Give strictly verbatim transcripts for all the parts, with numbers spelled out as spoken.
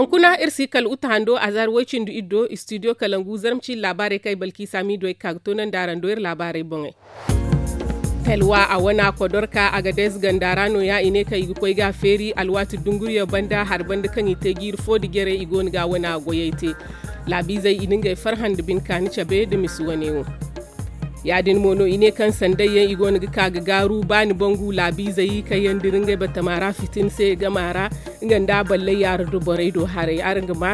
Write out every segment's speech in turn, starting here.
Hunkuna iri si kala uta hando a zaari way-cindi iddo istidiyo kalangu zarma ciini laabaarey kaŋ ay balki saamiido ay ga ka ga toonandi araŋ do iri laabaarey boŋey. Talwa a wana kodorka a ga dees ganda ra no- ya i ne kaŋ i ga koy ga a feeri alwaati dunguriyo banda hari banda kaŋ i te jiiri fo nda jere i go no ga a wana goyey te. Laabiizey i na ngey farhã nda bine kaani cabe nda misi wane wo. Ya- din mo no i ne kaŋ sanday yaŋ i go no ga ka ga gaaru ba ni bangu laabiizey kaŋ yaŋ dira ngey batama ra fitina se gama ra nga nda ballay yaara do borey do haray araŋ ga ma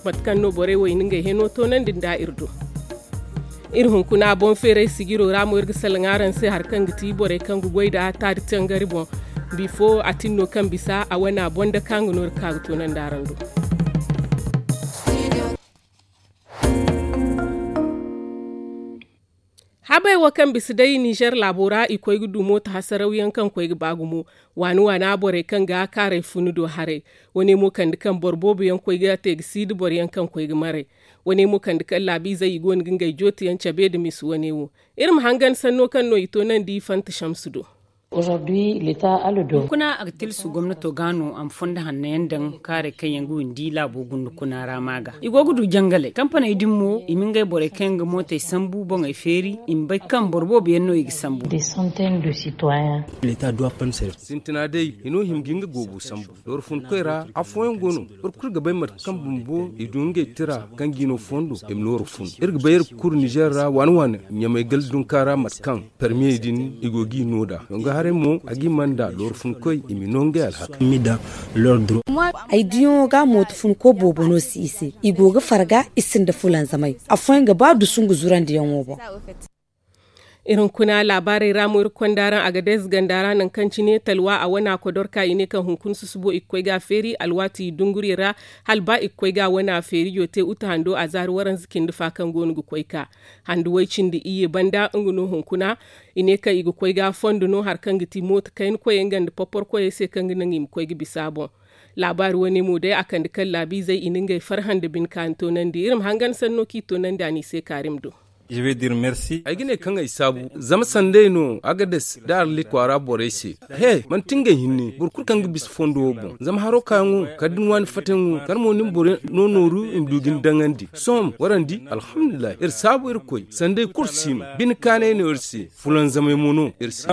mate kaŋ no borey wo i na ngey heno toonandi nda iri do. Iri hunkuna boŋ feeray sijiro ra mo iri ga salaŋ araŋ se hari kaŋ ga ti borey kaŋ ga goy nda taari tangari boŋ. Bifo a tin no kaŋ bisa a wane a boŋ da kaŋ ga no iri ka ga toonandi araŋ do. Habey wo kaŋ bisa day ninzeer laabo ra i koy ga du mooto hasarawyaŋ kaŋ koy ga ba gumo waani waana borey kaŋ ga kaaray funu do haray. Wane mo kande kaŋ boro boobo yaŋ koy ga te ga si nda boro yaŋ kaŋ koy ga maray. Wane mo kande kaŋ laabiizey i go no ga ngey jootiyaŋ cabe nda misi wane wo. Iri ma hangan sanno kaŋ no i toonandi fanta samsu do. Hunkuna a ga tilasu gomnato ga no a ma fondo hanno yaŋ daŋ kaaray kaŋ yaŋ ga windi laabo gunda kuna ra ma ga i go ga du jangaley kampaney din mo i ma ngey borey kaŋ yaŋ ga mootey sambu boŋey feeri i ma bay kaŋ boro boobo yaŋ no i ga sambu. Sintina day i no hima ga nga goobo sambu. Dooro funkoy ra afooyaŋ go no. Boro kulu ga bay mate kaŋ bumbo i du ngey tira kaŋ ga i no fondo i ma nooru fun iri ga bay iri ga kuru nizeer ra waani waani ɲamay gala dunka ra mate kaŋ parmiye din i go ga i no nd'a dongo haray mo a ga i mana nd'a dooro funkoy i ma i no ngey alhaka. Ay diyaŋo ga mooto funko boobo no si i se i go ga farga i sinda fulanzamay. Afooyaŋ ga ba dusu nga zurandiyaŋo boŋ. Iri hunkuna laabaarey ra mo iri konda araŋ a ga dees ganda ra nangu kaŋ cine talwa a wana kodorka i ne kaŋ hunkuna susubo i ga koy ga a feeri alwaati dunguriyo ra. Hala ba i ga koy ga a wana feerijo te uta hando a zaari waranza cindi fa kaŋ go no ga koy ka handu way cindi iyye banda nga no hunkuna. I ne kaŋ i ga koy ga fondo no hari kaŋ ga ti mooto kayna koyey nga nda porpor koyey se kaŋ ga naŋ i ma koy ga bisa a boŋ. Laabaari wane mo day a kande kaŋ laabiizey i na ngey farhã nda bine kaani toonandi iri ma hangan sanno kaŋ i toonandi a n'i se kaarim do. Ay ga ne kaŋ ay saabu zama sanday no agades nda arlit kwaara borey se. He manti ngey hinne boro kulu kaŋ ga bisa fondo wo boŋ zama haro kaayaŋo kala da ni waani fattayaŋo kala mo ni ma boro no nooru i ma du ga ni daŋandi sohõ warandi alhamdulillahi iri saabu irkoy sanday kulu si no bine kaanay no iri se. Fulanzamay mo no iri se.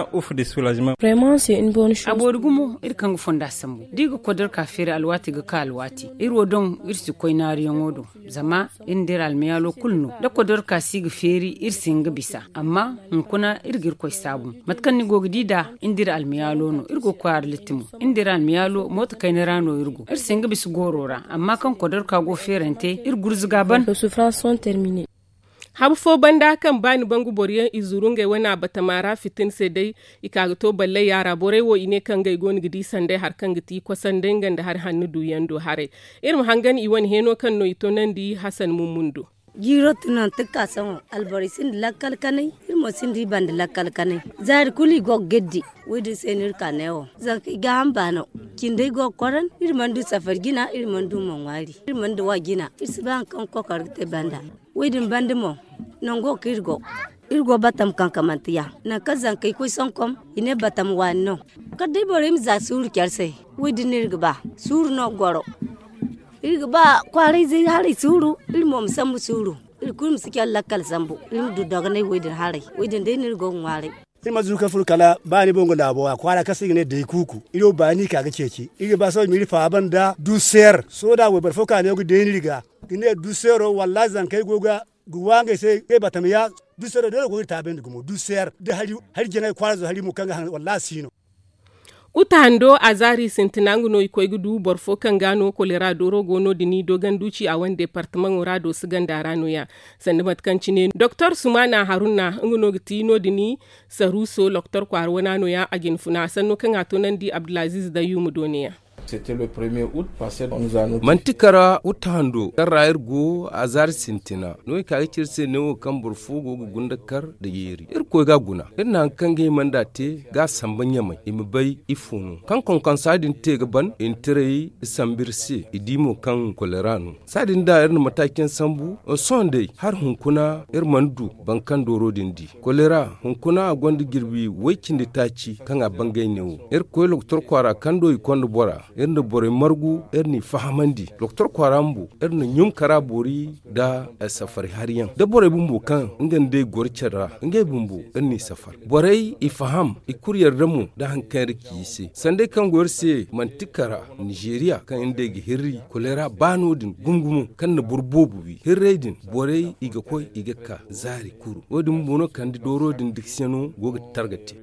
A boori gumo iri kaŋ ga fonda sambu da i ga kodorka feeri alwaati ga ka alwaati iri wo doŋ iri si koy naaruyaŋo do. Zama iri nda iri almayaalo kulu no da kodorka si ga feeri iri si hin ga bisa amma hunkuna iri ga irkoy saabu. Mate kaŋ ni go ga di nd'a iri nda iri almayaalo no iri go ga koy arlitti mo iri nda iri almayaalo mooto kayna ra no iri go iri si hin ga bisa gooro ra amma kaŋ kodorka go feerante iri gurzuga ban. Habu fo banda kaŋ ba ni bangu boro yaŋ i zuru ngey wane a batama ra fitina se day. I ka ga to balley yaara borey wo i ne kaŋ ngey go no ga di sanday hari kaŋ ga ti kosanday nga nda hari hanno duuyaŋ do haray. Iri ma hangan i wane heeno kaŋ no i toonandi hasan mummun do. Jiiro tun nanti ga ka sohõ alborey sinda lakkal kanay. Iri mo sinda i banda lakkal kanay zaari kulu i go ga geddi. Wo- din se no iri ka ne wo zanka i gaaham baano. Cindey go ga koran iri mana du safari jina iri mana du mo ŋwaari iri mana du wa jina iri si bay hari kaŋ ga kokor ga te banda. Wo- din banda mo nango kaŋ iri go iri go batam kankamanteyaŋ. Nangu kaŋ zankey koy sonkom i ne batam waani no. Kala day borey ma za suuru care se. Wo- din no iri ga ba suuru no ga goro. Iri ga ba kwaarayzey haray suuru iri mo ma sambu suuru. Iri kulu ma si care lakkal sambu iri ma du dogonay wo- din haray. Wo- din day no iri go ga ŋwaaray. Iri mana zuru kaŋ furo kala ba ni boŋ ga laabo a kwaara kaŋ se i ga ne day kuuku iri wo baani ka ga ceeci. Iri ga ba sohõ i ma iri faaba nda duuseer sohõ da wayboro fo ka ne go ga deeni iri ga ga ne duuseero wallaahi zankey go ga ga waa ngey se ngey batama ya. Duuseero day no go ga iri taabandi gumo duuseer da hari jaŋay kwaara zo hari mo kaŋ ga haŋ wallaahi a si no. Uta hando a zaari sintina nga no i koy ga du boro fo kaŋ ga no kolera dooro go no- din i doogan duuci a wane deepartamaŋo ra doosi ganda ra no- ya. Sanda mate kaŋ cine doktor sumana haruna nga no ga ti no- din i saruuso loktor kwaara wana no- ya a jina funa sanno kaŋ a toonandi abdulaziiz dayyuuma dooniya. Manti kara uta hando kaŋ ra iri go a zaari sintina no i ka ga ci iri se neewo kaŋ boro fo go ga gunda kar nda yeeri irkoy ga a guna iri na hari kaŋ ga hima nd'a te ga a samba ɲamay i ma bay ifo no kaŋ konkonsa din te ga ban i na tiray sambu iri se i di mo kaŋ kolera no. Saadin da iri na mataaci yaŋ sambu sohõ day hari hunkuna iri mana du boro kaŋ dooro din di kolera hunkuna a gonda jirbi way-cindi taaci kaŋ a bangay neewo. Iri koy lokotor kwaara kaŋ do i konda bora Iri nda borey margu iri n'i fahamandi doktor kwaara bumbo. Iri na ɲum kara boori nda safari hari yaŋ da borey bumbo kaŋ nga nda i goro care ra ngey bumbo iri n'i safari borey i faham i kulu yarda mo nda hari kaŋ iri ci i se sanday kaŋ go iri se manti kara nizeeriya kaŋ iri nda i ga hirri koleera ba no- din gumo gumo kaŋ na boro boobo wi hirray din borey i ga koy i ga ka zaari kuru wo- din bumbo no kande dooro din diksiyano go ga targa te.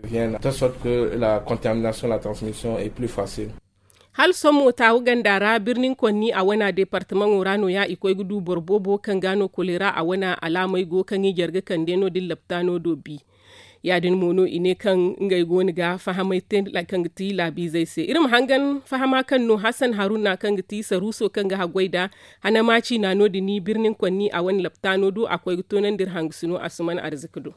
Hala sohõ mo taawu ganda ra birnin konni a wana deepartamaŋo ra no- ya i koy ga du boro boobo kaŋ ga no koleera a wana alaamey go kaŋ i jare ga kande no- din laptaano do bi. Ya- din mo no i ne kaŋ ngey go no ga fahamey te kaŋ ga ti laabiizey se iri ma hangan fahama kaŋ no hasan haruna kaŋ ga ti saruuso kaŋ ga haggoy nd'a hanama ciina no- din birnin konni a wane laptaano do a koy ga toonandi iri hangasino asuman arzika do.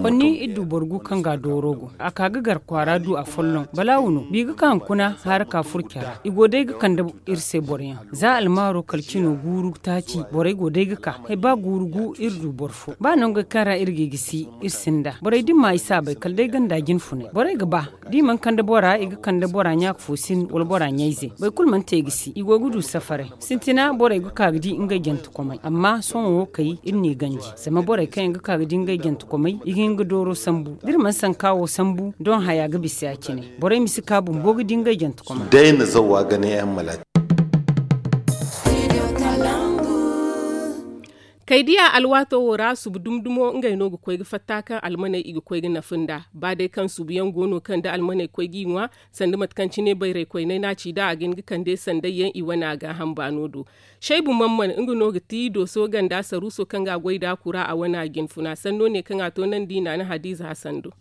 Konni iri du boro gu kaŋ ga dooro go a ka ga gar kwaara du afolloŋ balaawu no bi ga ka hunkuna haara ka furo care ra i go day ga kande iri se boro yaŋ za almaaro kala cino guuru taaci borey go day ga ka hay ba guuru gu iri du boro fo ba nangey kaŋ ra iri ga i gisi iri sinda borey da i ma i saabay kala day ganda jinfunay borey ga ba da i mana kande bora i ga kande bora ɲaaka fo sin wala bora ɲayze boro kulu mana te ga si i go ga du safaray sintina borey ga ka ga di ngey jantekomey amma sohõ wo kay iri n'i ganji zama borey kaŋ yaŋ ga ka ga di ngey jantekomey i ga hin ga dooro sambu da iri mana sanka wo sambu doŋ haya ga bisa ya- cine borey ma si ka bumbo ga di ngey jantekomey. Kaydiya alwaato wo ra subu dumi dumo ngey no ga koy ga fatta kaŋ almaney i ga koy ga nafa nd'a ba day kaŋ subu yaŋ go no kaŋ da almaney koy g'i ŋwa sanda mate kaŋ cine bayray koyney no a ci nd'a a ga hin ga kande sanday yaŋ i wane a gaaham baano do. Saybu mamman nga no ga ti dooso ganda saruuso kaŋ ga a goy nd'a kura a wane a jinfuna sanno ne kaŋ a toonandi naana hadiize hasan do.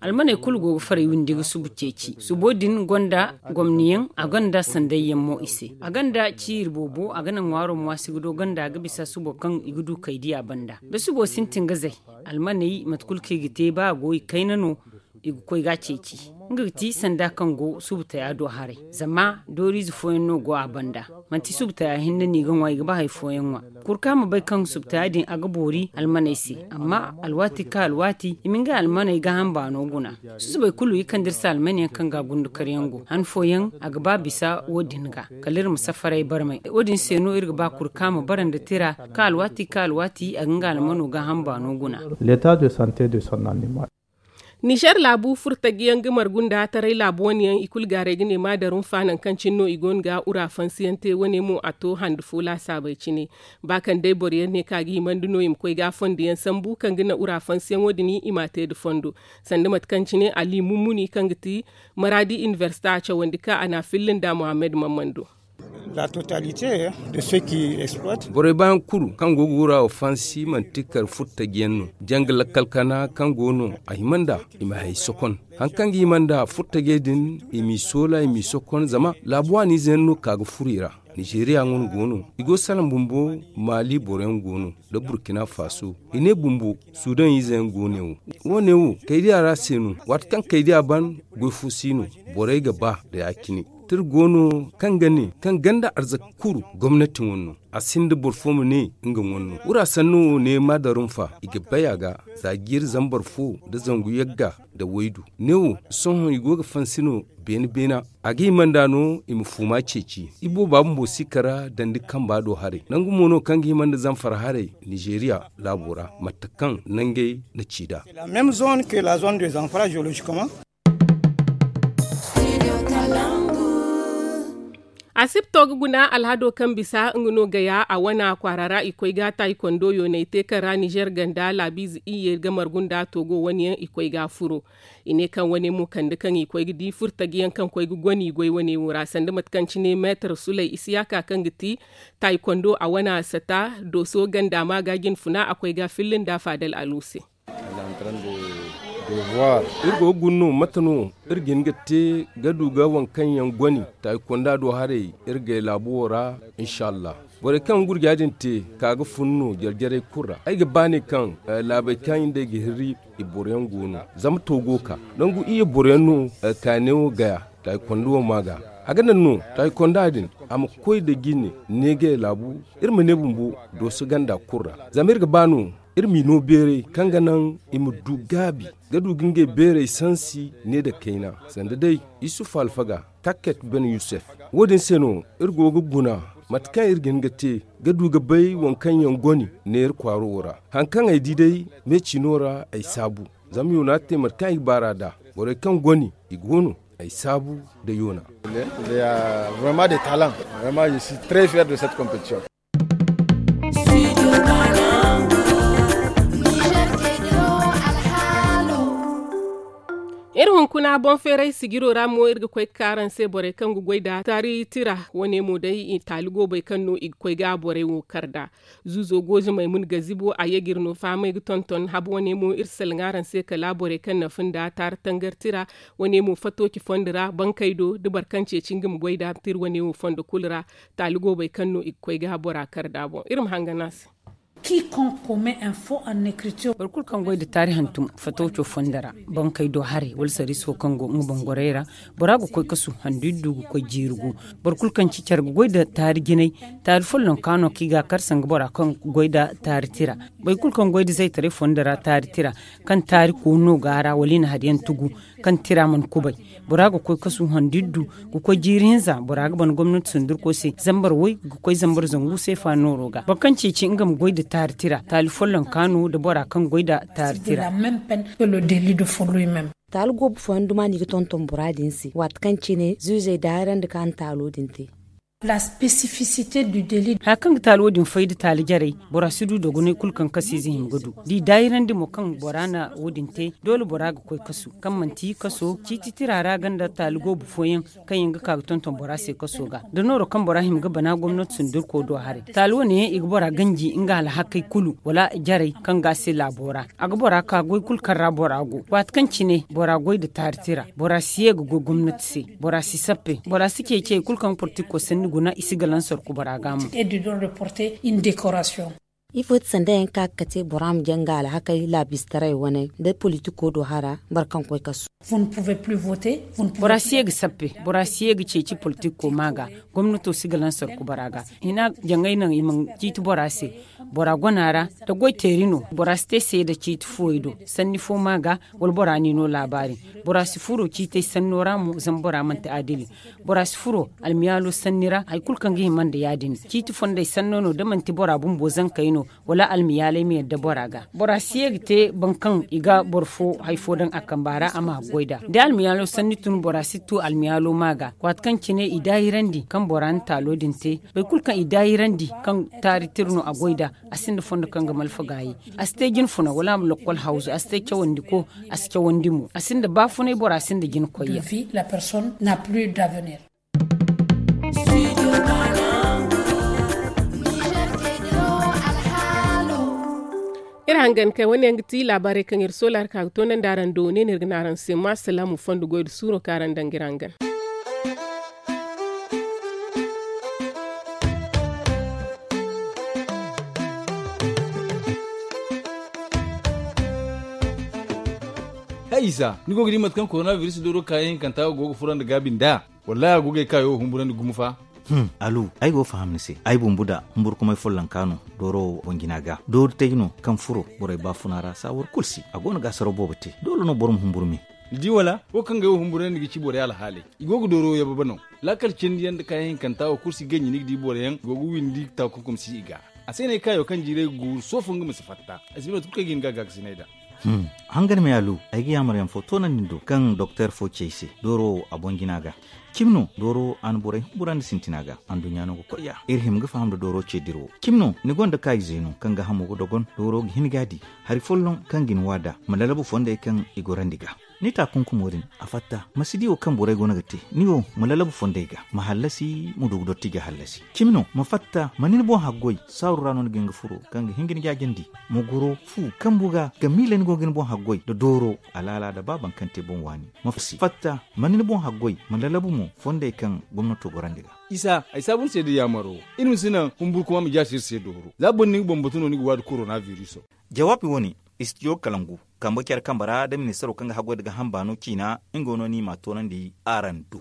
Almaney kulu go ga faray windi ga subu ceeci subo din gonda gomni yaŋ a gonda sanday yaŋ mo i se a gonda ciiri boobo a ga naŋ ŋwaaro mo a si ga do gonda ga bisa subo kaŋ i ga du kaydiya banda da subo sintin ga zay almaney mate kulu kaŋ i ga te ba a go i kayna no i ga koy ga a ceeci nga ga ti sanda kaŋ go subu taya do haray zama dooriize fooyaŋ no go a banda manti subu taya hinne no i ga ŋwa i ga ba hari fooyaŋ ŋwa. Kurka ma bay kaŋ subtaya din a ga boori almaney se amma alwaati ka alwaati i ma ngey almaney gaaham baano guna. Susubey kulu i kande iri se almaney yaŋ kaŋ ga a gundu karyaŋ go han fooyaŋ a ga ba bisa wo- din ga kala iri ma safaray barmay wo- din se no iri ga ba kurka ma bara nda tira ka alwaati ka alwaati a ga nga almano gaaham baano guna. L'état de santé de son animal. Nizer laabu furtajiyaŋ ga margu nda taray laabu wane yaŋ i kulu gaaray ga ne maadarunfa nangu kaŋ cine no i go no ga ura fansiyaŋ te wane mo a to hande fo laasaabey cine. Ba kaŋ day boro yaŋ ne kaŋ a ga himandi no i ma koy ga a fondo yaŋ sambu kaŋ ga naŋ ura fansiyaŋo din i m'a te nda fondo sanda mate kaŋ cine ali mummuni kaŋ ga ti maraadi inibersita a cawandi ka a n'a filla nda muhammad mammando. Borey baayaŋ kulu kaŋ go ga wura wo fansi manti kar furtajiyaŋ no janga lakkal kana kaŋ go no a hima nd'a i ma hay sokon. Hari kaŋ ga hima nd'a furtajey din i m'i soola i m'i sokon zama laabu waaniize yaŋ no ka ga furo i ra. Nizeeriya wane go no i go salaŋ bumbo maali boro yaŋ go no nda burkina faso i ne bumbo sudan ize yaŋ go ne wo. Wo- ne wo kaydiya ra se no waati kaŋ kaydiya ban goy fo si no. Borey ga ba nda ya- cine tira go no kaŋ ga ne kaŋ ganda arzaka kuru gomnati wane no. A sinda boro fo ma ne nga wane no wura sanno wo ne maadarunfa i ga bay a ga za jiiri zambar fo nda zangu yagga nda waydu. Ne wo sohõ i go ga fansi no beene beena a ga hima nd'a no i ma fuuma ceeci i booba bumbo si kara dandi kamba do haray nangu mo no kaŋ ga hima nda zamfara haray nizeeriya laabo ra mate kaŋ nangey na ci nd'a. Asipto ga guna alhado kaŋ bisa nga no gaya a wana kwaara ra i koy ga taayi kondo yoonay te kaŋ ra nizer ganda laabiize iyye ga margu nda togo wane yaŋ i koy ga a furo. I ne kaŋ wane mo kande kaŋ i koy ga di furtajiyaŋ kaŋ koy ga goni goy wane wo ra sanda mate kaŋ cine meetar sulay isiyaka kaŋ ga ti taayi kondo a wana sata dooso ganda ma ga jinfuna a koy ga a filla nda faadal alu se. Iri go ga guna no mate no iri ga hin ga te ga du ga waŋ kaŋ yaŋ goni taayi konda do haray iri gay laabu wo ra. Insa allah borey kaŋ gurja din te ka ga fun no jare jarey kulu ra ay ga ba ne kaŋ laabey kaŋ i nda ay ga hirri i boro yaŋ go no. Zama to go ka nangu iyye boro yaŋ no. Kaane wo gaya taayi konda wo ma ga a ga naŋ no taayi konda din a ma koy nda jine neegay laabu iri ma ne bumbo dooso ganda kulu ra. Zama iri ga ba no Iri m'i no beeray kaŋ ga naŋ i ma du gaabi ga du ga ngey beeray sansi ne nda kayna, sanda day isufu alfaga, takket ben yusef. Wo- din se no iri go ga guna mate kaŋ iri ga hin ga te ga du ga bay waŋ kaŋ yaŋ goni ne iri kwaaro wo ra. Hari kaŋ ay di day, me ciino ra ay saabu. Zama yoona te mate kaŋ ay ga baar'a nd'a, borey kaŋ goni i go no ay saabu nda yoona. Iri hunkuna boŋ feeray sijiro ra mo iri ga koy ga ka araŋ se borey kaŋ ga goy nda taari tira. Wane mo day taali goobey kaŋ no i ga koy ga borey wo kar nd'a. Zuuzo gooze maymun gazibo a ye ga iri no fahamay ga tonton habu wane mo iri salaŋ araŋ se kala borey kaŋ na fun nda taari tangar tira. Wane mo fatooci fondo ra bankey do da boro kaŋ ceeci nga ma goy nda tira wane wo fondo kulu ra. Taali goobey kaŋ no i ga koy ga bora kar nd'a boŋ iri ma hangan a se. Boro kulu kaŋ goy nda taari hantum fatooco fondo ra, bankey do haray wala sarriiso kaŋ go nga boŋ gorey ra, bora ga koy kasu handu iddu ga koy jiiri gu. Boro kulu kaŋ ci care ga goy nda taari jinay, taari follonka no kaŋ i ga a kar sanga bora kaŋ goy nda taari tira. Boro kulu kaŋ goy nda zaytaray fondo ra taari tira, kaŋ taari koono go a ra wala i na hari yaŋ tugu, kaŋ tira mana kubay, bora ga koy kasu handu iddu ga koy jiiri hinza. Bora ga ban gomnati sundurko se zambar way ga koy zambar zangu seefa nooro ga boro kaŋ ceeci nga ma goy nda taari tira taali follonka no nda bora kaŋ goy nda taari tira. Taali goobu fooyaŋ duma no i ga tonton bora din se waati kaŋ cine zuuzey daahirandi kaŋ a na taalo din te. Hari kaŋ ga taali wo- din fay nda taali jarey, bora si du dogonay kulu kaŋ kasu ize hima ga du da i daahirandi mo kaŋ bora na wo- din te. Doole bora ga koy kasu kaŋ manti kaso ciiti tira ra ganda taali goobu fooyaŋ kaŋ yaŋ ga ka ga tonton bora se kaso ga da nooro kaŋ bora hima ga bana gomnati sundurko do haray. Taali wane yaŋ i ga bora ganji nga alhakey kulu wala jarey kaŋ ga a se laabo ra. A ga bora ka goy kulu kaŋ ra bora go waati kaŋ cine bora goy nda taari tira. Bora si ye ga goy gomnati se. Bora si sappe. Bora si ceeci hari kulu kaŋ ga portiko sanni guna i si galansor ku bora ga mo. Ifo ti sanda yaŋ ka ga kate bora ma jaŋ ga alhakey laabistaray wane nda politiko do hara boro kaŋ koy kasu. Bora si ye ga sappe. Bora si ye ga ceeci politiko ma ga. Gomnato si galansor ku bora ga. Hina jaŋay naŋ i mana ciiti bora se. Bora gona ra da goy teeri no bora si te seeda ciiti fooyey do. Sanni fo ma ga wala bora n'i no laabaari. Bora si furo ciitey sanno ra mo zama bora manti adili. Bora si furo almiyaalo sanni ra hari kulu kaŋ ga hima nda ya- din ciiti fondey sanno no da manti bora bumbo zankey no wala almiyaaley ma yadda bora ga. Bora si ye ga te boro kaŋ i ga boro fo hari fo daŋ a kamba ra a ma haggoy nd'a da almiyaalo sanni tun bora si tu almiyaalo ma ga. Waati kaŋ cine i daahirandi kaŋ bora na taalo din te boro kulu kaŋ i daahirandi kaŋ taari tira no a goy nd'a. A sinda fondo kaŋ ga malfa gaayi. A si te jine funa wala a ma lokkol hawzu a si te cawandi ko. A si cawandi mo a sinda baafunay bora sinda jine koyyaŋ. Iri hangan kay wane yaŋ ga ti laabaarey kaŋ iri soolaari ka ga toonandi araŋ do ne no iri ga ne araŋ se ma salaamu fondo goy nda suuro kaŋ araŋ daŋ ga iri hangan. Hay isa ni go ga di mate kaŋ korona biris dooro kaayaŋ hinkanta go ga furo nda gaabi nd'a? Wallahi a go ga ay kaayo humburandi gumo fa. Alu, ay go ga faham ni se. Ay bumbu da humburkumay follonka no dooro wo boŋ jina ga dooru tay no kaŋ furo borey baafuna ra saawar kulu si a go no ga asaraw boobo te. Doole no boro ma humburu me. Ni di wala wo kaŋ ga ay wo humburandi ga ci borey alhaaley. I go ga dooro yababe no. Laakal cindi yaŋ nda kaayaŋ hinkanta wo kulu si ganji ni ga di boro yaŋ go ga windi taakunkum si i ga. A se no ay kaayo kaŋ jiiray ga guuru soofo nga ma si fatta. Ay si bay mate kulu kaŋ ay ga hin ga a gaakasinay nd'a. Hangan me alu, ay ga yaamar yaŋ fo toonandi ni do kaŋ doktor fo ci ay se dooro wo a boŋ jina ga. Cimi no dooro wo a na borey humburandi sintina ga. Anduɲɲa no ga koy ya iri hima ga faham nda dooro ce dirawo. Cimi no ni gonda kaayize no kaŋ ga hamo ga dogon dooro ga hin ga a di. Hari folloŋ kaŋ ga ni waada ma lalabu fondey kaŋ i gorandi ga. Ni taakunkumo din a fatta ma si di wo kaŋ borey go no ga te. Ni wo ma lalabu fondey ga ma hallasi ma du ga dotti ga hallasi. Cimi no ma fatta ma ni ni boŋ haggoy saaru ra no ni ga hin ga furo kaŋ ga hin ga ni jaajandi. Ma goro fu kambu ga ga miila ni go ga ni boŋ haggoy nda dooro alaala nda ba baŋ kaŋ te boŋ waani. Ma fatta ma ni ni boŋ haggoy ma lalabu mo fondey kaŋ gomnato gorandi ga. Isa ay saabu ni se da yaamaro. Iri ma si naŋ humburkuma ma jaasi iri se dooro za boro ni ga boŋ batu no ni ga waadi korona biriso. Jawaabi wo-ne, istijo kalangu kambe care kambe ra nda ministaro kaŋ ga haggoy nda gaaham baano ciina. Nga wo no ni m'a toonandi araŋ do.